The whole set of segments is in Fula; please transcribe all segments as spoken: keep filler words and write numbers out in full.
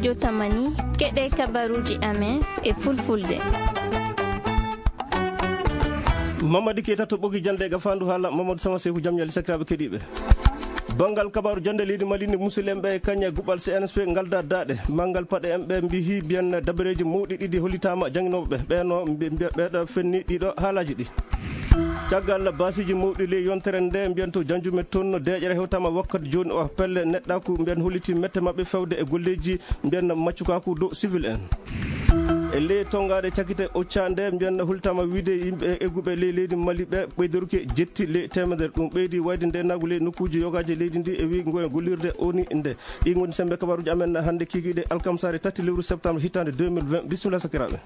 Jotamani, keɗe kabaruuji amen e fulfulde. Mamadi Keita to ɓogi jande ga fandu haala Mamadou Sama Sefu, jam ñali sakiraaɓe keɗiiɓe. Banngal kabaaru jande leydi Mali ni, musidɓe ɓe kañe guɓal C N S P ngal da daɗe. Manngal paɗe en ɓe mbihi mbiyen dabareeji mawɗi ɗiɗi hollitaama jannginooɓe ɓe. Ɓeeno mbi-, mbiya ɓeeɗo fenni ɗiɗo haalaaji ɗi. Caggal baasiiji mawɗi ley yontere nde, mbiyen to Janjume toon, deeƴere hewtaama wakkati jooni o. Pelle neɗɗaaku mbiyen holliti mette maɓɓe fewde e golleeji mbiyen maccukaaku dow civil en. E ley tonngaade cakite Ocha nde, mbiyen hollitaama wiide yimɓe egguɓe ley leydi Mali ɓe ɓeydoruki jetti ley teemedere. Ɗum ɓeydi wayde ndeenaagu ley nokkuuji yogaaji leydi ndi e wi ngoyen gollirde O N U nde. Ɗi ngoni semmbe kabaaruuji amen hannde kikiiɗe alkamsaare tati lewru septembre hitaande deux mille vingt. Bisimilla sakiraaɓe.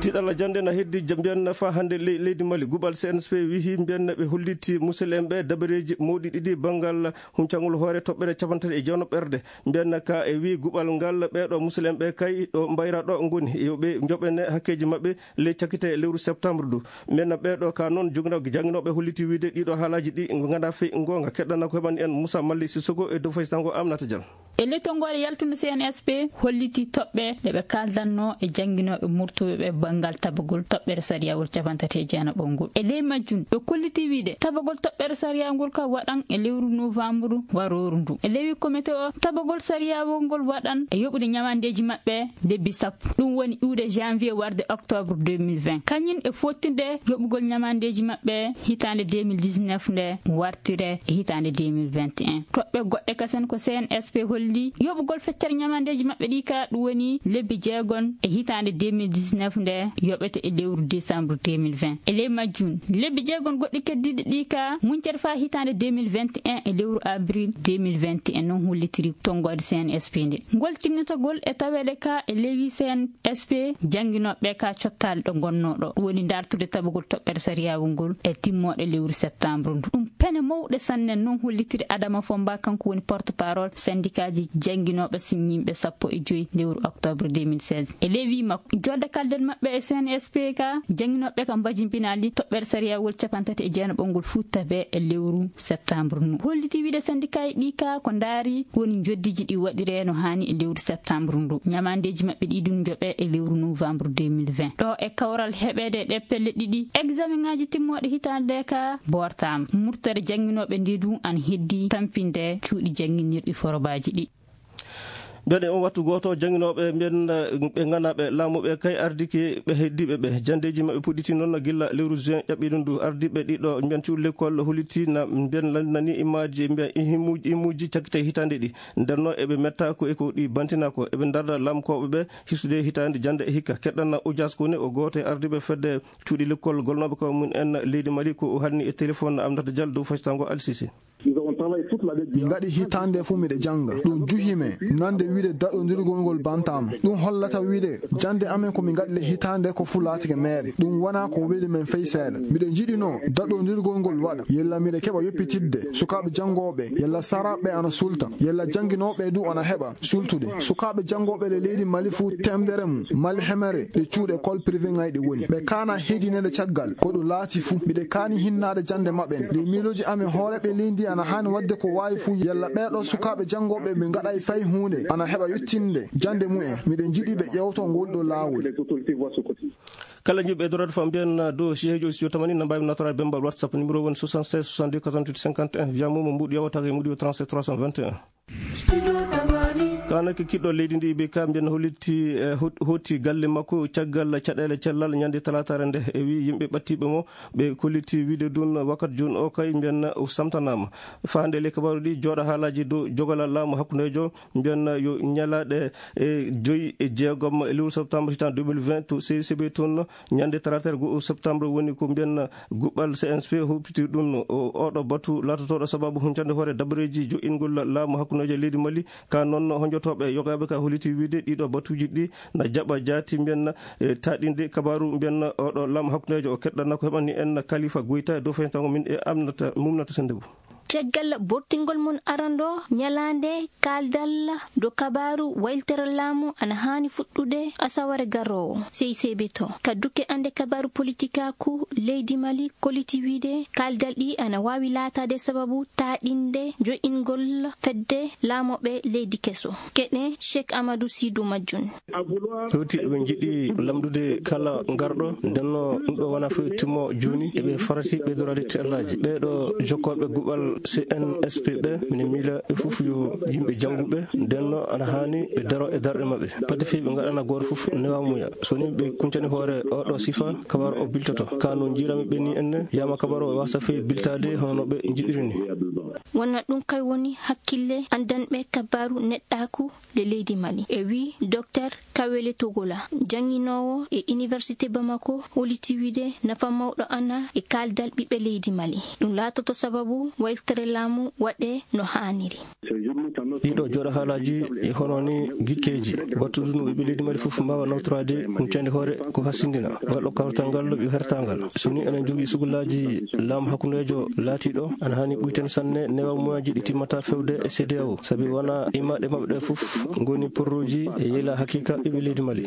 Tiiɗalla jannde na heddi ja-, mbiyen faa hannde ley-, leydi Mali. Guɓal C N S P wihi mbiyen ɓe holliti musidɓe en ɓe dabareeji mawɗi ɗiɗi banngal huncangol hoore toɓɓere cappanɗe tati e jeegom ɓerde. Mbiyen ka e wi guɓal ngal ɓeeɗo musidɓe en ɓe kay ɗo mbayra ɗo ngoni. Yo ɓe njoɓene hakkeeji maɓɓe ley cakite lewru septembre du. Mbiyen ɓeeɗo ka noon jogino-, jannginooɓe holliti wiide ɗiɗo haalaaji ɗi ngana fey ngoonga. Keɗɗana ko heɓani en Moussa Mali Sissoko e dow faysango Aminata Diallo. E ley tonngoode yaltunde C N S P holliti toɓɓe ɗe ɓe kaaldanno e jannginooɓe murtuɓe ɓe banngal tabagol toɓɓere sariyawol cappanɗe tati e jeenaɓo ngol. E ley majjum, ɓe kolliti wiide tabagol toɓɓere sariya ngol ka waɗan e lewru novembre warooru ndu. E ley komite o, tabagol sariyawol ngol waɗan e yoɓude ñamandeeji maɓɓe lebbi sappo. Ɗum woni iwde janvier warde octobre deux mille vingt. Kañum e fottinde yoɓugol ñamandeeji maɓɓe hitaande deux mille dix-neuf nde wartire e hitaande deux mille vingt et un. Toɓɓe goɗɗe kasen ko C N S P holli yoɓugol feccere ñamandeeji maɓɓe ɗi ka ɗum woni lebbi jeegon e hitaande deux mille dix-neuf nde yoɓete e lewru décembre deux mille vingt. E ley majjum, lebbi jeegon goɗɗi keddiiɗi ɗi ka muñcere faa hitaande deux mille vingt et un e lewru avril deux mille vingt et un, noon hollitiri tonngoode C N S P nde. Ngol tinnitagol e taweede ka e lewru C N S P jannginooɓe ka cottaali ɗo ngonnoo ɗo, woni dartude tabagol toɓɓere sariyaawu ngol e timmooɗe lewru septembre ndu. Ɗum pene mawɗe sanne, noon hollitiri Adama Fomba, kanko woni porte-parole syndicatji jannginooɓe siññiiɓe sappo e joy lewru octobre deux mille seize. E ley wii makko, jodde kalden maɓɓe e C N S P ka, jannginooɓe ka mbajimbinaali toɓɓere sariyawol cappanɗe tati e jeenaɓo ngol futtabe e lewru septembre ndu. Holliti wiide syndicat e ɗi ka ko ndaari woni njoddiiji ɗi waɗire no haani e lewru septembre ndu. Ñamandeeji maɓɓe ɗi ɗum njoɓe e lewru novembre deux mille vingt. Ɗo e kawral heɓeede e ɗe pelle ɗiɗi, examen ngaji timmooɗe hitaande ka bortaama. Murtere jannginooɓe ndi du ana heddi tampinde cuuɗi jannginirɗi forobaaji ɗi. Mbiyen e on wattu gooto, jannginooɓe mbiyen, eh, ɓe ngannduɗaa ɓe laamu ɓe kay ardike ɓe heddiiɓe ɓe. Janndeeji maɓɓe puɗɗiti noon gilla lewru juin ƴaɓɓiiɗo ndu. Ardiiɓe ɗiɗo mbiyen cuuɗi lekkol hollitii na mbiyen lanndinanii imaaji mbiyen ihimuuji, imuuji cakkite hitaande ɗi. Nden noon eɓe metta ko e ko ɗi bantinaa ko. Eɓe ndarda laamkooɓe ɓe hisude hitaande jannde e hikka. Keɗɗana Ujas Kone, o gooto e ardiiɓe fedde cuuɗi lekkol golnooɓe ko mum en leydi Mali, ko o haalni e téléphone Aminata Diallo dow faytango Al Sisi. Min ngaɗi hitaande fof miɗe jannga. Ɗum juhi men, nande wiide daɗondirgol ngol bantaama. Ɗum hollata wiide jannde amen ko min ngaɗi le hitaande ko fof laatike meere. Ɗum wonaa ko weli men fey seeɗa. Miɗo jiɗinoo daɗondirgol ngol waɗa. Yalla miɗo keɓa yoppitidde sukaaɓe janngooɓe, yalla saraaɓe ana sulta, yalla jannginooɓe du ana heɓa sultude. Sukaaɓe janngooɓe le leydi Mali fuu, teemdere mum, Mali hemere, ɗe cuuɗi école privé ngayɗi woni. Ɓe kaana heedineede caggal, ko ɗum laati fuu. Miɗe kaani hinnaade jannde maɓɓe nde. Ɗi miilooji amen hooreeɓe leydi ana haani waɗde ko waawi fuu. Yalla ɓeeɗo sukaaɓe janngooɓe ɓe ngaɗay fay huunde, ana heɓa yettinde jannde mumen. Miɗen njiɗi ɓe ƴeewto ngol ɗo laawol. Kala jiɗɗo ɓeydoraade fam mbiyen dow Cheikh Joy Studio Tamani, na mbaawi nattoraade bemmbal WhatsApp, numéro woni soixante-seize soixante-deux quatre-vingt-huit cinquante et un. Via Momo mbuuɗi yawa taga e mbuuɗi o trente-sept trois cent vingt et un. Kaanake kiɗɗo leydi ndi ɓe ka mbiyen hollitti, eh, hot-, hooti galle makko caggal caɗeele cellal ñande talaataare nde. E wi yimɓe ɓattiiɓe mo, ɓe kolliti wiide ɗum wakkati jooni o kay mbiyen o samtanaama. Faande le kabaaru ɗi jooɗa haalaaji dow jogalal laamu hakkundeejo, mbiyen yo ñalaaɗe, eh, joyi e jeegom e lewru septembre hitan deux mille vingt to C C B toon. Ñande talaataare go'o septembre woni ko mbiyen guɓɓal C N S P huɓɓiti ɗum. O, oɗo batu laatotooɗo sababu huncande hoore dabareeji jo'ingol laamu hakkundeejo leydi Mali. Ka noon, honjotooɓe yogaaɓe ka holliti wiide ɗiɗo batuuji ɗi na jaɓa jaati mbiyen, e, taɗinde kabaaru mbiyen oɗo laamu hakkundeejo o. Keɗɗana ko heɓani en Khalifa Goita dow faytango min e Aminata Mumnata Sendebo. Caggal bortingol mon arandoo, ñalaande kaaldal do kabaaru wayltere laamu ana haani fuɗɗude asaware garoowo, C I C B to. Ka dukke ande kabaaru politikaaku leydi Mali, koliti wiide kaaldal ɗi ana waawi laataade sababu taaɗinde joƴingol fedde laamooɓe leydi keso. Keɗe Cheikh Amadou Sidou Majjun. Hewti eɓe njiɗi lamndude kala ngarɗo, ndenno ɗum ɗo wona fof timmo jooni, eɓe farati ɓeydoraade teelaaji. Ɓeeɗo jokkooɓe guɓal C N S P ɓe, mine miila ɓe fof yo yimɓe jannguɓe, ndenno ana haani ɓe daro e darɗe maɓɓe. Pati fii ɓe ngaɗana gooto fof newamuya. So ni ɓe kuncani hoore oɗo sifa, kabar o biltoto. Ka no njiirami ɓe ni enne, yama kabar o wasa fii biltaade hono no ɓe njiɗiri ni. Wona ɗum kay woni hakkille anndanɓe kabaaru neɗɗaaku le leydi Mali. E wi Docteur Kawele Togola, jannginoowo e Université Bamako, holiti wiide nafa mawɗo ana e kaaldal ɓiɓɓe leydi Mali. Ɗum laatoto sababu wayltere laamu waɗe no haaniri. Ɗiɗo jooɗo haalaaji e hono ni gikkeeji, battudu no ɓiɓɓe leydi Mali fof mbaawa nawtoraade huncande hoore ko hasindina. Ngal ɗo kawtal ngal yo hertangal. So ni enen jogii sugulaaji laamu hakkundeejo laatiiɗo, ana haani ɓuyten sanne newamuyaji ɗi timmata fewde e C D A O, sabi wona immaaɗe maɓɓe ɗe fof ngoni porruuji e yeyla hakiika ɓiɓɓe leydi Mali.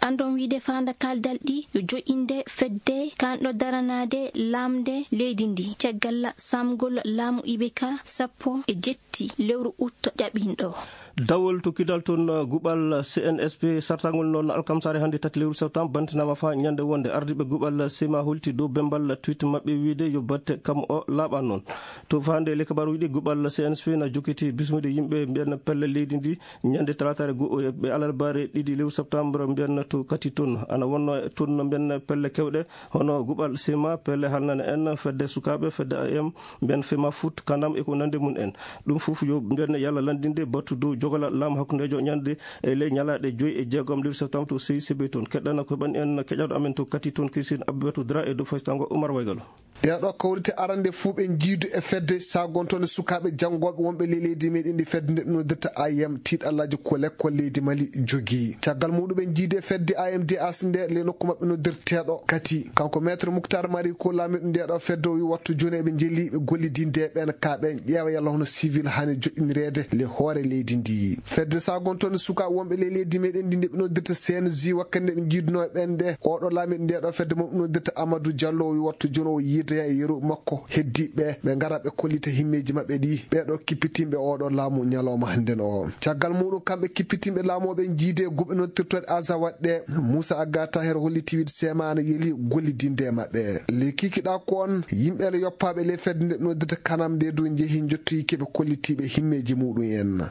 Andon wiide faanda kaaldal ɗi yo joƴinde fedde kanɗo daranaade laamde leydi ndi caggal saamgol laamu I B K sappo e jetti lewru ut ƴaɓinɗo. Dawol to Kidal toon, guɓal C N S P sartagol noon alkamsaare hannde tati lewru septembre bantinaama faa ñande wonde. Ardiiɓe guɓal sema holti dow bembal tweet maɓɓe wiide yo batte kam o laaɓa noon. To faande le kabaruuji ɗi, guɓal C N S P na jokkiti bismide yimɓe mbiyan pelle leydi ndi ñande talaataare go-, ɓe alarbaare ɗiɗi lewru septembre mbiyan to Kati toon. Ana wonno toon mbiyan pelle kewɗe hono guɓal sema, pelle halnane en, fedde sukaaɓe, fedde A M, mbiyan fema foot, kanam e ko nande mum en. Ɗum fof yo mbiyan yalla landinde battu dow jogala laamu hakkundeejo ñande e ley ñalaaɗe joyi e jeegom lewru septembre to C I C B toon. Keɗɗana ko heɓani en keƴaɗo amen to Kati toon, Kisin Abibatu Dra e dow faytango Umar Waygalo. Ɗeeɗo kawrite arande fuu ɓe njiidu e fedde sagontonde sukaaɓe janngooɓe wonɓe ley leydi meɗen ndi fedde nde ɓe noddirta A I M tiiɗallaaji ko lekkol leydi Mali jogii. Caggal muɗum ɓe njiidi e fedde A M D A C nde ley nokku maɓɓe noddirteeɗo Kati. Kanko Maître Mouctar Mari ko laamiɗo ndeeɗo fedde o wi wattu jooni eɓe njeli ɓe gollidinde ɓen ka ɓen ƴeewa yalla hono civil hani joɗɗinireede le hoore leydi ndi. Fedde sagontonde sukaaɓe wonɓe ley leydi meɗen ndi nde ɓe noddirta C N J wakkati nde ɓe njiidunoo e ɓen nde oɗo laamiɗo ndeeɗo fedde mo ɓe noddirta Amadou Diallo o wi wattu jooni o yiidoya e yeru makko heddiiɓe ɓe ngara ɓe kollita himmeeji maɓɓe ɗi ɓeeɗo kippitinɓe oɗo laamu ñalawma hannden o. Caggal muɗum kamɓe kippitinɓe laamu o ɓe njiide guɓe noddirtooɗe Azawad ɗe Moussa Agata Hero holliti wiide sema ana yeli gollidinde e maɓɓe. Le kikiɗa ko on yimɓe le yoppaaɓe le fedde nde ɓe noddirta kanam nde dow njehi njottoyi keɓe kollitiiɓe himmeeji muɗum en.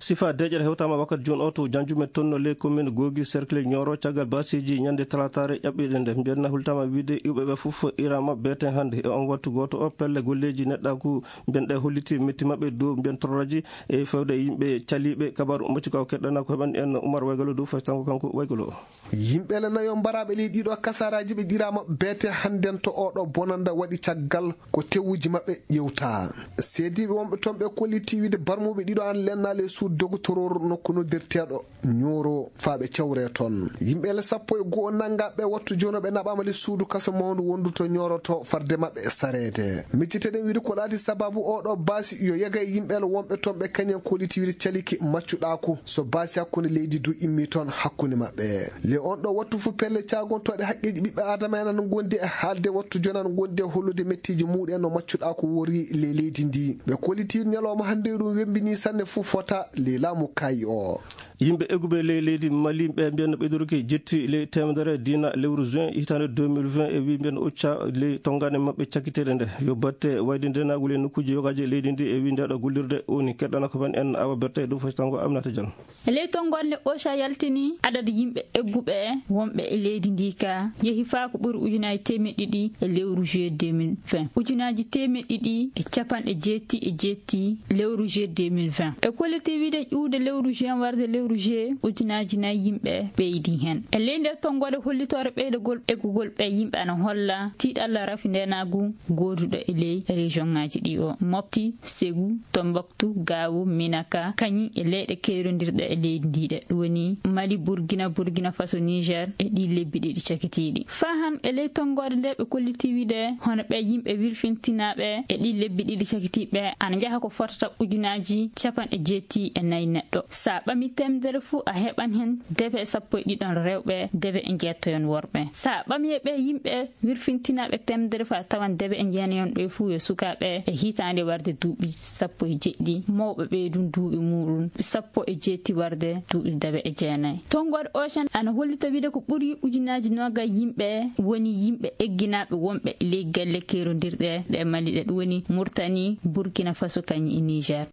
Sifa deeƴere hewtaama wakkati jooni o to Janjume toon no ley commune Gogi cercle Nioro caggal basiiji ñande talaataare ƴaɓɓiiɗe nde. Mbiyen na hultaama wiide iwɓe ɓe fof irama beete hannde e on wattu gooto o pelle golleeji neɗɗaaku mbiyen ɗe holliti metti maɓɓe dow mbiyen torraji e fewde yimɓe caliiɓe. Kabaaru maccuka o keɗɗana ko heɓani en Umar Waygalo dow faytango kanko Waygalo o. Yimɓe le nayo mbaraaɓe ley ɗiɗo kasaraaji ɓe ɗiraama beete hannden to oɗo bonanda waɗi caggal ko tewuji maɓɓe ƴewta. Seediiɓe wonɓe toon ɓe kolliti wiide barmuɓe ɗiɗo an lennaali e suudu dogotoroor nokku noddirteeɗo Ñooro faa ɓe cawre toon. Yimɓe le sappo e go'o nanngaɓe wattu jono ɓe naɓaama le suudu kaso mawndu wondu to Ñooro to farde maɓɓe sareede. Micciteɗen wiide ko laati sababu oɗo baasi yo yega e yimɓe le wonɓe toon ɓe kañen kolliti wiide caliki maccuɗaaku. So baasi hakkunde leydi du immi toon hakkunde maɓɓe. Le on ɗo wattu fu pelle caagontooɗe haqqeeji ɓiɓɓe Aadama en ana ngondi e haalde wattu jooni ana ngondi e hollude mettiiji muuɗum en no maccuɗaaku wori ley leydi ndi. Ɓe kolliti ñalawma hannde ɗum wembini sanne fu fota ley laamu kaayi o. Yimɓe egguɓe ley leydi Mali ɓe mbiyan no ɓeydoruki jetti ley teemedere diina lewru juin hitaande deux mille vingt e wi mbiyan occa ley tonngane maɓɓe cakkiteeɗe nde yo batte wayde ndenaagu ley nokkuuji yogaaji e leydi ndi e wi ndeɗo gollirde woni keɗɗana ko men en Awa Berta e dow faytango Aminata Diallo. E ley tonngoode nde OSHA yaltini, adadu yimɓe egguɓe wonɓe e leydi ndi ka yehi faa ko ɓuri ujunaaji teemeɗɗe ɗiɗi e lewru juillet deux mille vingt, ujunaaji teemeɗɗe ɗiɗi e capanɗe jeetti e jeetti lewru juillet deux mille vingt. E kolliti Ɓeyde ƴuwde lewru juin warde lewru juillet, ujunaaji nayi yimɓe ɓeydi heen. E ley nde tonngoode hollitoore ɓeydagol eggugol ɓee yimɓe ana holla tiiɗalla rafi ndeenaagu gooduɗo e ley région ŋaaji ɗi o Mopti, Ségou, Tombouctou, Gao, Minaka, kañum e leyɗe keerondirɗe e leydi ndi ɗe. Ɗum woni Mali, Burkina, Burkina Faso, Niger e ɗi lebbi ɗiɗi cakitiiɗi. Faa han e ley tonngoode nde ɓe kollitii wiide hono ɓee yimɓe wirfintinaaɓe e ɗi lebbi ɗiɗi cakitiiɓe ana njaha ko fotata ujunaaji capanɗe jeetti e nayi neɗɗo. So a ɓamii teemedere fuu, a heɓan heen debe sappo e ɗiɗon rewɓe, debe e njeettoyon worɓe. So a ɓamii e ɓee yimɓe wirfintinaaɓe teemedere fuu, a tawan debe e jeenayon ɓee fuu yo sukaaɓe e hitaande warde duuɓi sappo e jeɗɗi, mawɓe ɓee ɗum duuɓi muuɗum sappo e jeetti warde duuɓi debe e jeenayi. Tonngoode Ocean ana hollita wiide ko ɓuri ujunaaji noogay yimɓe woni yimɓe egginaaɓe wonɓe ley galle keerondirɗe ɗe Mali ɗe, ɗum woni Murtani, Burkina Faso kañum e Niger.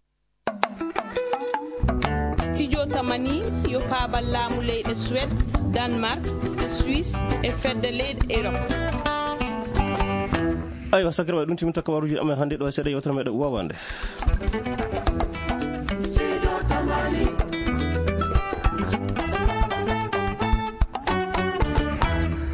Studio Tamani yo paabal laamu leyɗe Suède, Danemark, Suisse e fedde leyɗe Europe. Aywa, sakiraaɓe, ɗum timmi takka waruji amen hannde ɗo e seeɗa yewtere meɗen wowande.